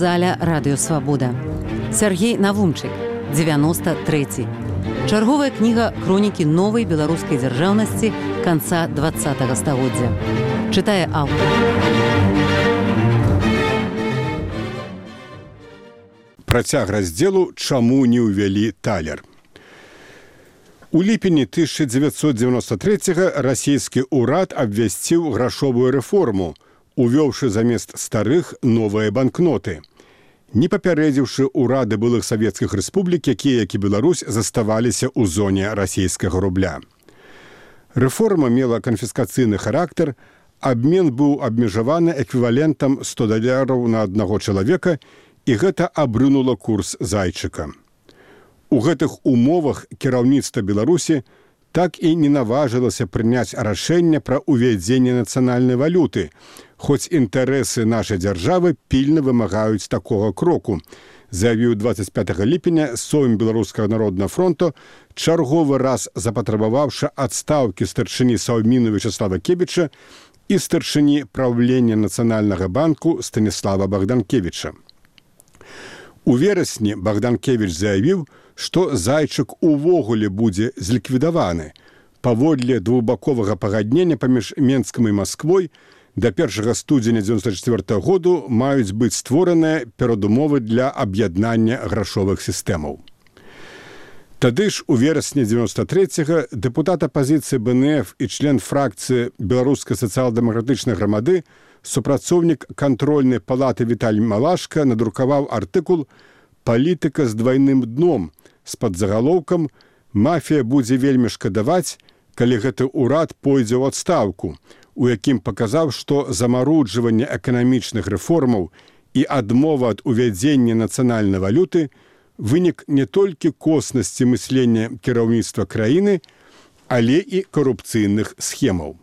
аўдыёзаля «Радыёсвабода». Сергей Навумчык, 93. Чарговая кніга хронікі новай беларускай дзяржаўнасці канца 20-го стагоддзя. Чытае аўтар. Працяг раздзелу «Чаму не ўвялі талер». У ліпені 1993-го расійскі ўрад абвясціў грашовую рэформу, увёўшы замест старых новыя банкноты, не папярэдзіўшы ўрады былых савецкіх рэспублік, якія, як і Беларусь, заставаліся ў зоне расійскага рубля. Рэформа мела канфіскацыйны характар, абмен быў абмежаваны эквівалентам $100 на аднаго чалавека, і гэта абрынула курс зайчыка. У гэтых умовах кіраўніцтва Беларусі так і не наважылася прыняць рашэнне пра ўвядзенне нацыянальнай валюты, хоць інтарэсы нашай дзяржавы пільна вымагаюць такога кроку, заявіў 25 ліпеня Сойм Беларускага народнага фронту, чарговы раз запатрабаваўшы адстаўкі старшыні Саўміну Вячеслава Кебіча і старшыні праўлення Нацыянальнага банку Станіслава Богданкевіча. У верасні Богданкевіч заявіў, што зайчык увогуле будзе зліквідаваны. Паводле двухбаковага пагаднення паміж Менскам і Масквой да 1 студзеня 1994 году маюць быць створаныя перадумовы для аб'яднання грашовых сістэмаў. Тады ж у верасні 93-го дэпутат апазіцыі БНФ і член фракцыі Беларускай сацыял-дэмакратычнай грамады, супрацоўнік кантрольнай палаты Віталь Малашка надрукаваў артыкул «Палітыка з двайным дном» з падзагалоўкам «Мафія будзе вельмі шкадаваць, калі гэты ўрад пойдзе ў адстаўку», у якім паказаў, што замаруджванне эканамічных рэформаў і адмова ад увядзення нацыянальнай валюты вынік не толькі коснасці мыслення кіраўніцтва краіны, але і карупцыйных схемаў.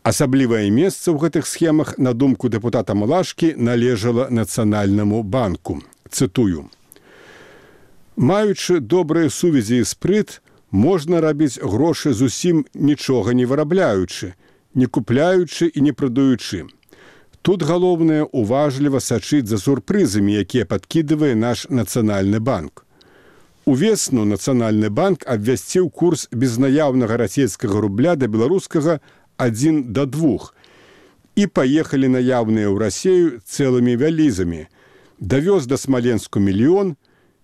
Асаблівае месца ў гэтых схемах, на думку дэпутата Малашкі, належала Нацыянальнаму банку. Цытую. «Маючы добрыя сувязі і спрыт, можна рабіць грошы зусім нічога не вырабляючы, не купляючы і не прадаючы. Тут галоўнае уважліва сачыць за сюрпрызамі, якія падкідывае наш Нацыянальны банк. Увесну Нацыянальны банк абвясціў курс безнаяўнага расійскага рубля да беларускага 1 до 2, і паехалі наяўныя ў Расею цэлымі вялізамі. Давёз да Смаленску мільён,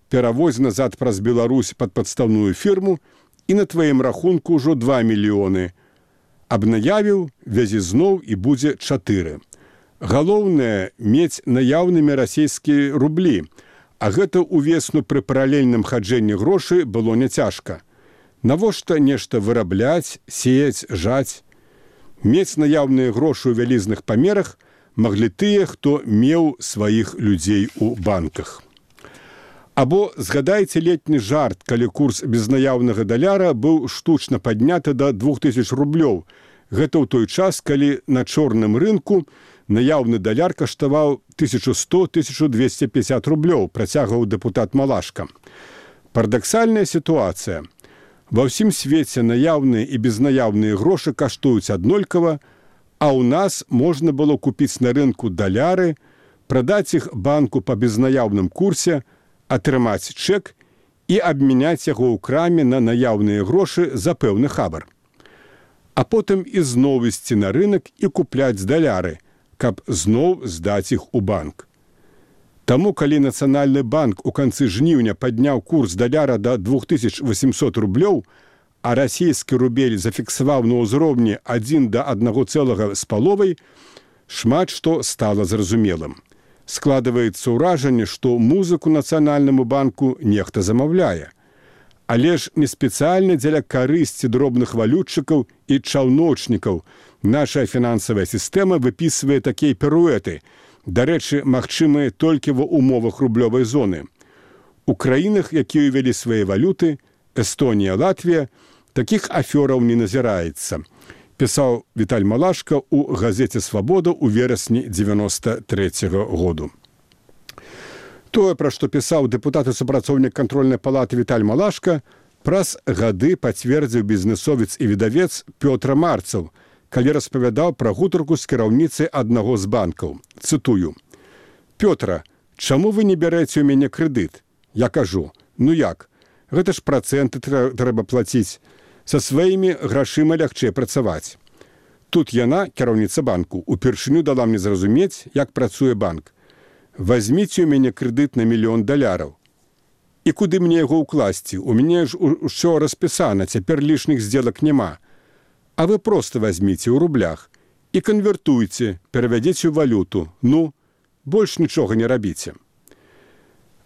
перавозь назад праз Беларусь пад падстаўную фірму і на тваім рахунку ўжо 2 мільёны. Абнаявіў, вязі зноў і будзе 4. Галоўнае мець наяўнымі расійскія рублі, а гэта увесну пры паралельным хаджэнні грошай было няцяжка. Навошта нешта вырабляць, сеяць, жаць? Мець наяўныя грошы ў вялізных памерах маглі тыя, хто меў сваіх людзей у банках. Або згадайце летні жарт, калі курс безнаяўнага даляра быў штучна падняты да 2000 рублёў. Гэта ў той час, калі на чорным рынку наяўны даляр каштаваў 1100-1250 рублёў, працягваў дэпутат Малашка. Парадаксальная сітуацыя. Ва ўсім свеце наяўныя і безнаяўныя грошы каштуюць аднолькава, а ў нас можна было купіць на рынку даляры, прадаць іх банку па безнаяўным курсе, атрымаць чэк і абмяняць яго ў краме на наяўныя грошы за пэўны хабар. А потым ізноў ісці на рынак і купляць даляры, каб зноў здаць іх у банк. Таму, калі Нацыянальны банк у канцы жніўня падняў курс даляра да 2800 рублёў, а расійскі рубель зафіксаваў на ўзроўні 1 да 1,5, шмат што стала зразумелым. Складваецца ўражанне, што музыку Нацыянальнаму банку нехта замаўляе. Але ж не спецыяльна дзеля карысці дробных валютчыкаў і чаўночнікаў наша фінансавая сістэма выпісвае такія піруэты, дарэчы, магчымыя толькі ва умовах рублёвай зоны. У краінах, якія ўвялі свае валюты, Эстонія, Латвія, такіх афёраў не назіраецца, пісаў Віталь Малашка ў газеце «Свабода» ў верасні 93-го году. Тое, пра што пісаў дэпутат і супрацоўнік кантрольнай палаты Віталь Малашка, праз гады пацвердзіў бізнесовец і выдавец Пётр Марцаў, калі распавядаў пра гутарку з кіраўніцай аднаго з банкаў. Цытую. «Пётра, чаму вы не бярэце ў мяне крэдыт? Я кажу, ну як? Гэта ж працэнты трэба плаціць. Са сваімі грашыма лягчэй працаваць. Тут яна, кіраўніца банку, упершыню дала мне зразумець, як працуе банк. Вазьміце ў мяне крэдыт на $1 000 000. І куды мне яго ўкласці? У мяне ж усё распісана, цяпер лішніх здзелак няма. А вы проста вазьміце ў рублях і канвертуйце, перавядзіце ў валюту. Ну, больш нічога не рабіце.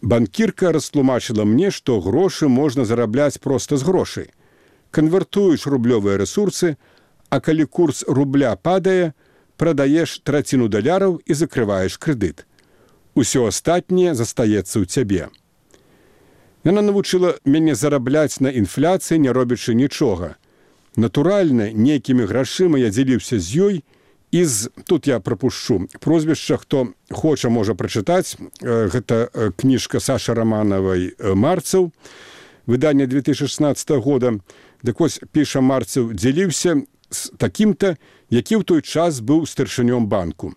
Банкірка растлумачыла мне, што грошы можна зарабляць проста з грошай. Канвертуеш рублёвыя рэсурсы, а калі курс рубля падае, прадаеш траціну даляраў і закрываеш крэдыт. Усё астатняе застаецца ў цябе. Яна навучыла мяне зарабляць на інфляцыі, не робячы нічога. Натуральна, нейкімі грашыма я дзяліўся з ёй, і тут я прапушчу прозвішча, хто хоча, можа прачытаць. Гэта кніжка Сашы Раманавай «Марцаў», выданне 2016 года. Дык вось піша Марцаў, дзяліўся з такім-то, які ў той час быў старшынём банку.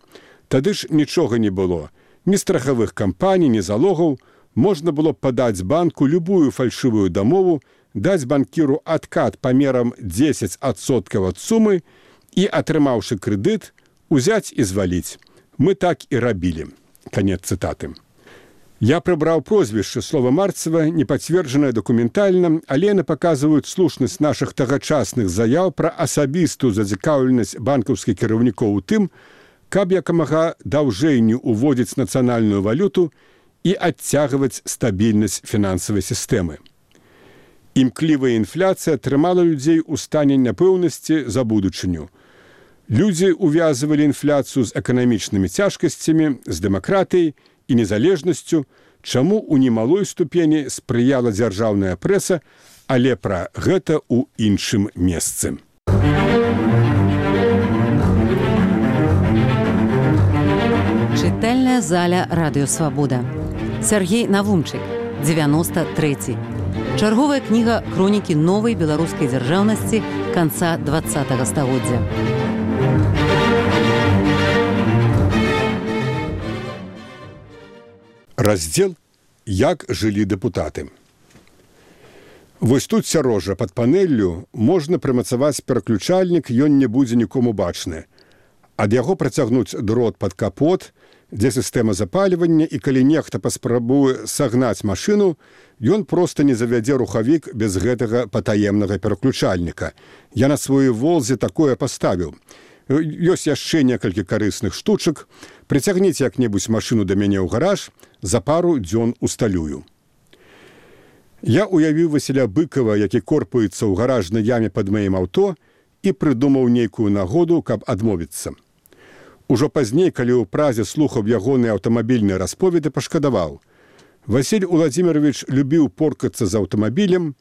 Тады ж нічога не было. Ні страхавых кампаній, ні залогаў. Можна было падаць банку любую фальшывую дамову, даць банкіру адкат памерам 10% ад сумы і, атрымаўшы крэдыт, узяць і зваліць. Мы так і рабілі. Канец цытаты. Я прыбраў прозвішча слова Марцева, не пацверджанае дакументальна, але яны паказваюць слушнасць нашых тагачасных заяў пра асабістую зацікаўленасць банкаўскіх кіраўнікоў у тым, каб якамага даўжэй не ўводзіць нацыянальную валюту і адцягваць стабільнасць фінансавай сістэмы. Імклівая інфляцыя трымала людзей у стане няпэўнасці за будучыню. Людзі увязывалі інфляцыю з эканамічнымі цяжкасцямі, з дэмакратыяй і незалежнасцю, чаму ў немалой ступені спрыяла дзяржаўная прэса, але пра гэта ў іншым месцы. Чытальная заля Радыё Свабода. Сергей Навумчык, 93. Чарговая кніга хронікі новай беларускай дзяржаўнасці канца 20-го стагоддзя. Раздзел «Як жылі дэпутаты». Вось тут сярожа пад панеллю можна прымацаваць пераключальнік, ён не будзе нікому бачны. Ад яго працягнуць дрот пад капот, дзе сістэма запальвання, і калі нехта паспрабуе сагнаць машыну, ён проста не завядзе рухавік без гэтага патаемнага пераключальніка. Я на сваёй «Волзе» такое паставіў. Ёсць яшчэ некалькі карысных штучак. Прыцягніце як-небудзь машыну да мяне ў гараж, за пару дзён усталюю. Я уявіў Васіля Быкова, які корпаецца ў гаражнай яме пад маім аўто, і прыдумаў нейкую нагоду, каб адмовіцца. Ужо пазней, калі ў празе слухаў ягоныя аўтамабільныя расповеды, пашкадаваў. Васіль Уладзімірович любіў поркацца з аўтамабілем,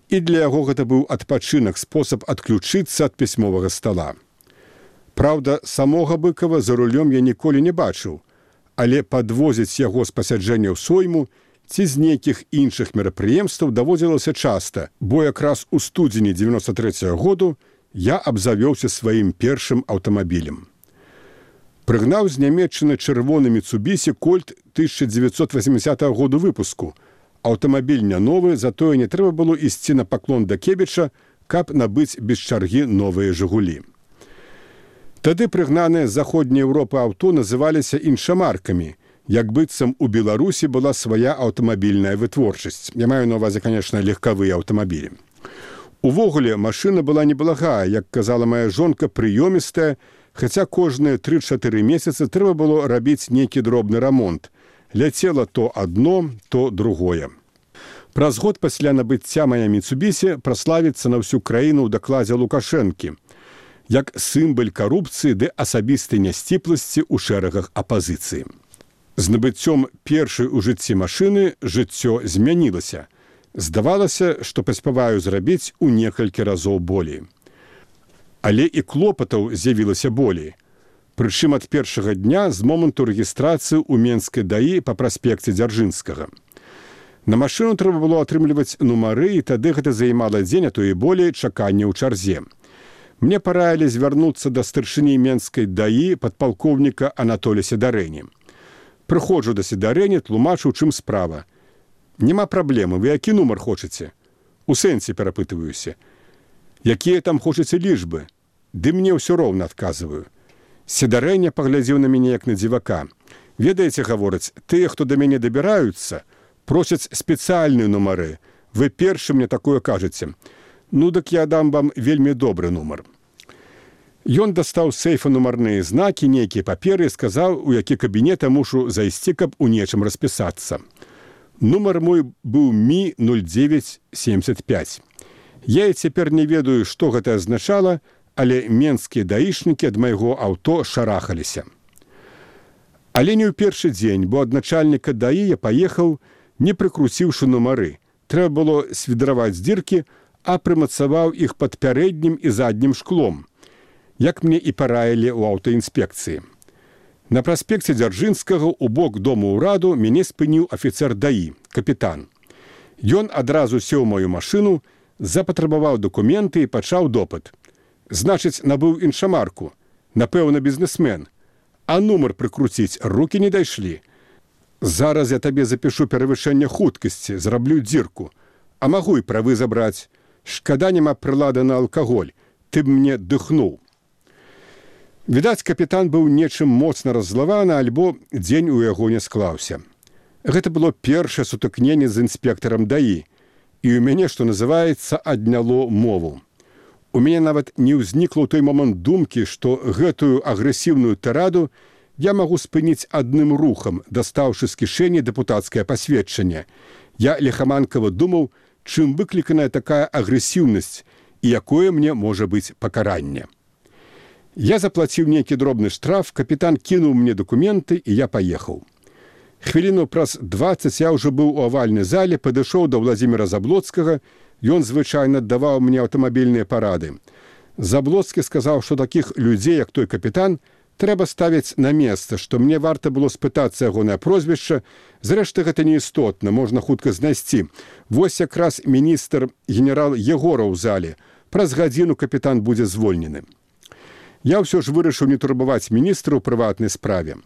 і для яго гэта быў адпачынак, спосаб адключыцца ад пісьмовага стала. Праўда, самога Быкова за рулём я ніколі не бачыў, але падвозіць яго з пасяджэнняў сойму ці з нейкіх іншых мерапрыемстваў даводзілася часта, бо якраз у студзені 93-го году я абзавёўся сваім першым аўтамабілем. Прыгнаў з Нямецчыны чырвоны Міцубісі Кольт 1980 году выпуску. Аўтамабіль не новы, затое не трэба было ісці на паклон да Кебіча, каб набыць без чаргі новыя «Жигулі». Тады прыгнаныя з заходняй Еўропы аўто называліся іншамаркамі, як быццам у Беларусі была свая аўтамабільная вытворчасць. Я маю на ўвазе, канешне, легкавыя аўтамабілі. Увогуле, машына была неблагая, як казала моя жонка, прыёмістая, хаця кожныя 3-4 месяцы трэба было рабіць нейкі дробны рамонт. Ляцела то адно, то другое. Праз год пасля набыцця мая Міцубісі праславіцца на ўсю краіну ў дакладзе Лукашэнкі, як сімбаль карупцыі ды асабістай нясціпласці ў шэрагах апазіцыі. З набыццём першай у жыцці машыны жыццё змянілася. Здавалася, што паспяваю зрабіць у некалькі разоў болей. Але і клопатаў з'явілася болей. Прычым ад першага дня з моманту рэгістрацыі ў Менскай ДАІ па праспекце Дзяржынскага. На машыну трэба было атрымліваць нумары, і тады гэта займала дзень, а то і болей чакання ў чарзе. Мне параілі звярнуцца да старшыні Менскай ДАІ падпалкоўніка Анатолія Сідарэні. Прыходжу да сідарэні, тлумачу, чым справа. Няма праблемы, вы які нумар хочаце? У сэнсе перапытваюся. Якія там хочаце лічбы? Ды мне ўсё роўна адказваю. Сідарэня паглядзеў на мяне як на дзівака. Ведаеце, гавораць, тыя, хто да мяне дабіраюцца, просяць спецыяльныя нумары. Вы першы мне такое кажаце. Ну, дык я дам вам вельмі добры нумар. Ён дастаў з сейфа нумарныя знакі, нейкія паперы і сказаў, у які кабінет я мушу зайсці, каб у нечым распісацца. Нумар мой быў Ми-0975. Я і цяпер не ведаю, што гэта азначала, але менскія даішнікі ад майго аўто шарахаліся. Але не ў першы дзень, бо ад начальніка даі я паехаў, не прыкруціўшы нумары. Трэба было свідраваць дзіркі, а прымацаваў іх пад пярэднім і заднім шклом, як мне і параілі ў аўтаінспекцыі. На праспекце Дзяржынскага у бок дому ўраду мяне спыніў афіцэр даі, капітан. Ён адразу сеў маю машыну, запатрабаваў дакументы і пачаў допыт. Значыць, набыў іншамарку. Напэўна, бізнесмен. А нумар прыкруціць рукі не дайшлі. Зараз я табе запішу перавышэнне хуткасці, зраблю дзірку. А магу і правы забраць. Шкада няма прылады на алкаголь. Ты б мне дыхнуў. Відаць, капітан быў нечым моцна раззлаваны, альбо дзень у яго не склаўся. Гэта было першае сутыкненне з інспектарам даі. І ў мяне, што называецца, адняло мову. У мяне нават не ўзнікла ў той момант думкі, што гэтую агрэсіўную тараду я магу спыніць адным рухам, дастаўшы з кішэні дэпутацкае пасведчанне. Я лихаманкава думаў, чым выкліканая такая агрэсіўнасць і якое мне можа быць пакаранне. Я заплаціў нейкі дробны штраф, капітан кінуў мне дакументы, і я паехаў. Хвіліну праз 20 я ўжо быў у авальнай зале, падышоў да Владзіміра Заблоцкага, ён звычайна даваў мне аўтамабільныя парады. Заблоцкі сказаў, што такіх людзей, як той капітан, трэба ставіць на месца, што мне варта было спытацца ягонае прозвішча. Зрэшты, гэта не істотна, можна хутка знайсці. Вось якраз міністр генерал Егора ў зале. Праз гадзіну капітан будзе звольнены. Я ўсё ж вырашыў не турбаваць міністра ў прыватнай справе.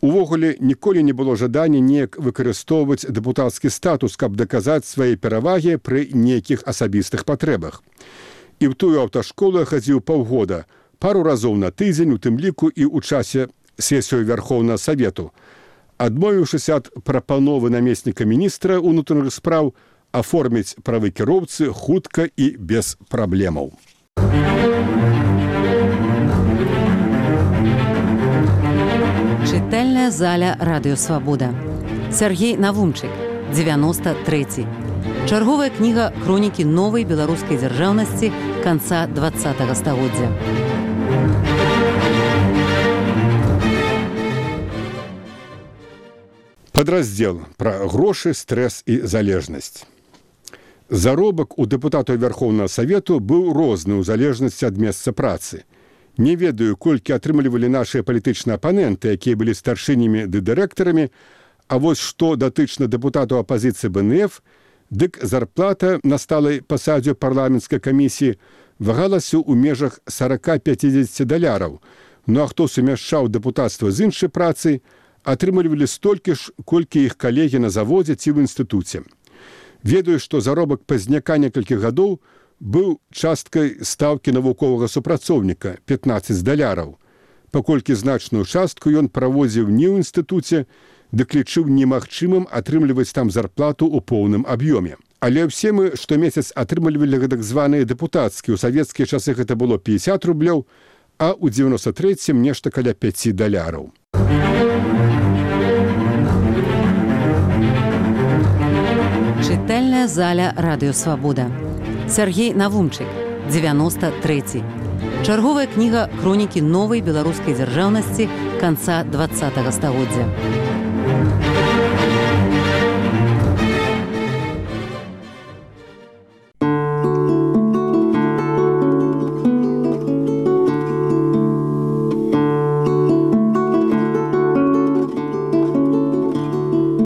Увогуле, ніколі не было жадання неяк выкарыстоўваць дэпутацкі статус, каб даказаць свае перавагі пры нейкіх асабістых патрэбах. І ў тую аўташколу я хадзіў паўгода, пару разоў на тыдзень, у тым ліку і ў часе сесію Вярхоўнага Савету. Адмовіўшыся ад прапановы намесніка міністра ўнутраных спраў аформіць правы кіроўцы хутка і без праблемаў. Чытальная заля Радыё Свабода. Сяргей Навумчык, 93. Чарговая кніга хронікі новай беларускай дзяржаўнасці канца 20-го стагоддзя. Падраздзел пра грошы, стрэс і залежнасць. Заробак у дэпутатаў Вярхоўнага Савету быў розны ў залежнасці ад месца працы. Не ведаю, колькі атрымлівалі нашыя палітычныя апаненты, якія былі старшынямі ды дырэктарамі, а вось што датычна дэпутатаў апазіцыі БНФ, дык зарплата на сталай пасадзе парламенцкай камісіі вагалася ў межах 40-50 даляраў. Ну а хто сумяшчаў дэпутацтва з іншай працай, атрымлівалі столькі ж, колькі іх калегі на заводзе ці ў інстытуце. Ведаю, што заробак пазняка некалькі гадоў быў часткай стаўкі навуковага супрацоўніка 15 даляраў. Паколькі значную частку ён праводзіў не ў інстытуце, дык лічыў немагчымым атрымліваць там зарплату ў поўным аб'ёме. Але ўсе мы штомесяц атрымлівалі гэтак званыя дэпутацкія. У савецкія часы гэта было 50 рублёў, а ў 93-м нешта каля 5 даляраў. Чытальная заля Радыё Свабода. Сяргей Навумчык, 93. Чарговая кніга хронікі новай беларускай дзяржаўнасці канца 20-го стагоддзя.